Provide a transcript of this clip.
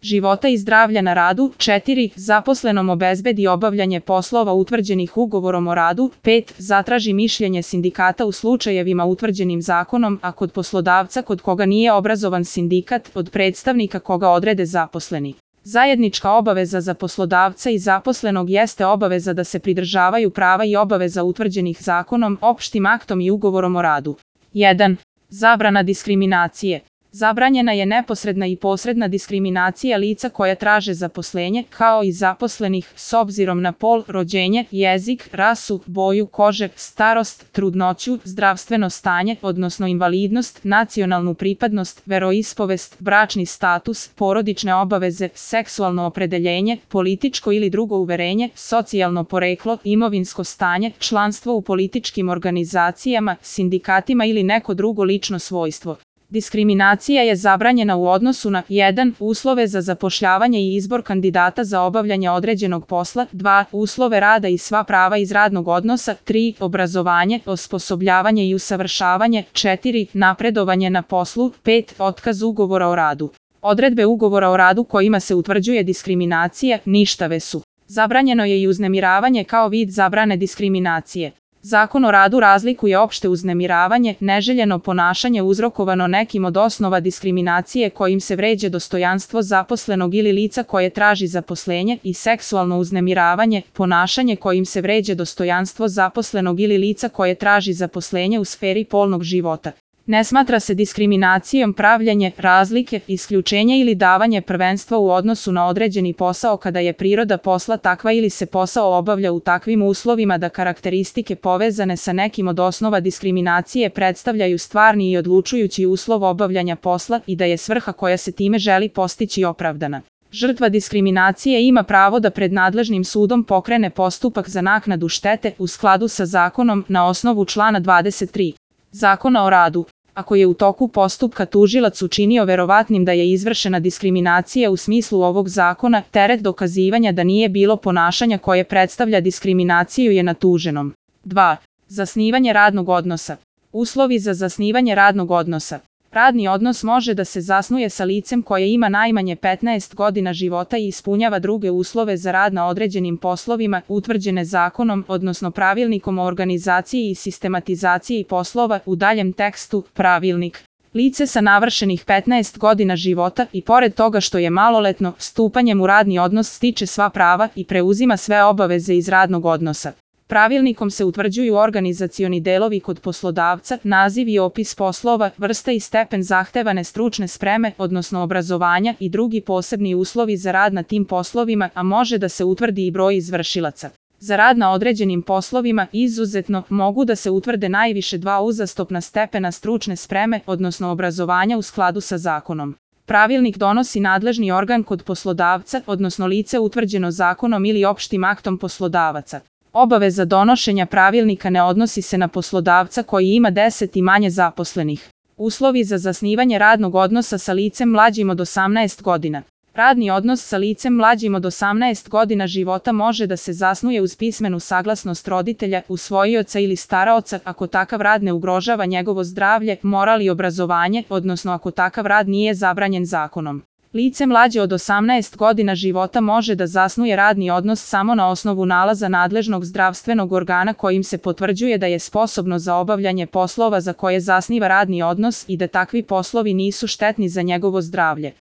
života i zdravlja na radu. 4. Zaposlenom obezbedi obavljanje poslova utvrđenih ugovorom o radu. 5. Zatraži mišljenje sindikata u slučajevima utvrđenim zakonom, a kod poslodavca kod koga nije obrazovan sindikat, od predstavnika koga odrede zaposleni. Zajednička obaveza za poslodavca i zaposlenog jeste obaveza da se pridržavaju prava i obaveza utvrđenih zakonom, opštim aktom i ugovorom o radu. 1. Zabrana diskriminacije. Zabranjena je neposredna i posredna diskriminacija lica koja traže zaposlenje, kao i zaposlenih, s obzirom na pol, rođenje, jezik, rasu, boju kože, starost, trudnoću, zdravstveno stanje, odnosno invalidnost, nacionalnu pripadnost, veroispovest, bračni status, porodične obaveze, seksualno opredeljenje, političko ili drugo uverenje, socijalno poreklo, imovinsko stanje, članstvo u političkim organizacijama, sindikatima ili neko drugo lično svojstvo. Diskriminacija je zabranjena u odnosu na 1. Uslove za zapošljavanje i izbor kandidata za obavljanje određenog posla. 2. Uslove rada i sva prava iz radnog odnosa. 3. Obrazovanje, osposobljavanje i usavršavanje. 4. Napredovanje na poslu. 5. Otkaz ugovora o radu. Odredbe ugovora o radu kojima se utvrđuje diskriminacija ništave su. Zabranjeno je i uznemiravanje kao vid zabrane diskriminacije. Zakon o radu razlikuje opšte uznemiravanje, neželjeno ponašanje uzrokovano nekim od osnova diskriminacije kojim se vređa dostojanstvo zaposlenog ili lica koje traži zaposlenje, i seksualno uznemiravanje, ponašanje kojim se vređa dostojanstvo zaposlenog ili lica koje traži zaposlenje u sferi polnog života. Ne smatra se diskriminacijom pravljenje razlike, isključenje ili davanje prvenstva u odnosu na određeni posao kada je priroda posla takva ili se posao obavlja u takvim uslovima da karakteristike povezane sa nekim od osnova diskriminacije predstavljaju stvarni i odlučujući uslov obavljanja posla i da je svrha koja se time želi postići opravdana. Žrtva diskriminacije ima pravo da pred nadležnim sudom pokrene postupak za naknadu štete u skladu sa zakonom na osnovu člana 23. Zakona o radu. Ako je u toku postupka tužilac učinio verovatnim da je izvršena diskriminacija u smislu ovog zakona, teret dokazivanja da nije bilo ponašanja koje predstavlja diskriminaciju je na tuženom. 2. Zasnivanje radnog odnosa. Uslovi za zasnivanje radnog odnosa. Radni odnos može da se zasnuje sa licem koje ima najmanje 15 godina života i ispunjava druge uslove za rad na određenim poslovima utvrđene zakonom, odnosno pravilnikom o organizaciji i sistematizaciji poslova, u daljem tekstu pravilnik. Lice sa navršenih 15 godina života i pored toga što je maloletno, stupanjem u radni odnos stiče sva prava i preuzima sve obaveze iz radnog odnosa. Pravilnikom se utvrđuju organizacioni delovi kod poslodavca, naziv i opis poslova, vrsta i stepen zahtevane stručne spreme, odnosno obrazovanja i drugi posebni uslovi za rad na tim poslovima, a može da se utvrdi i broj izvršilaca. Za rad na određenim poslovima, izuzetno, mogu da se utvrde najviše 2 uzastopna stepena stručne spreme, odnosno obrazovanja u skladu sa zakonom. Pravilnik donosi nadležni organ kod poslodavca, odnosno lice utvrđeno zakonom ili opštim aktom poslodavaca. Obaveza donošenja pravilnika ne odnosi se na poslodavca koji ima 10 i manje zaposlenih. Uslovi za zasnivanje radnog odnosa sa licem mlađim od 18 godina. Radni odnos sa licem mlađim od 18 godina života može da se zasnuje uz pismenu saglasnost roditelja, usvojioca ili staraoca ako takav rad ne ugrožava njegovo zdravlje, moral i obrazovanje, odnosno ako takav rad nije zabranjen zakonom. Lice mlađe od 18 godina života može da zasnuje radni odnos samo na osnovu nalaza nadležnog zdravstvenog organa kojim se potvrđuje da je sposobno za obavljanje poslova za koje zasniva radni odnos i da takvi poslovi nisu štetni za njegovo zdravlje.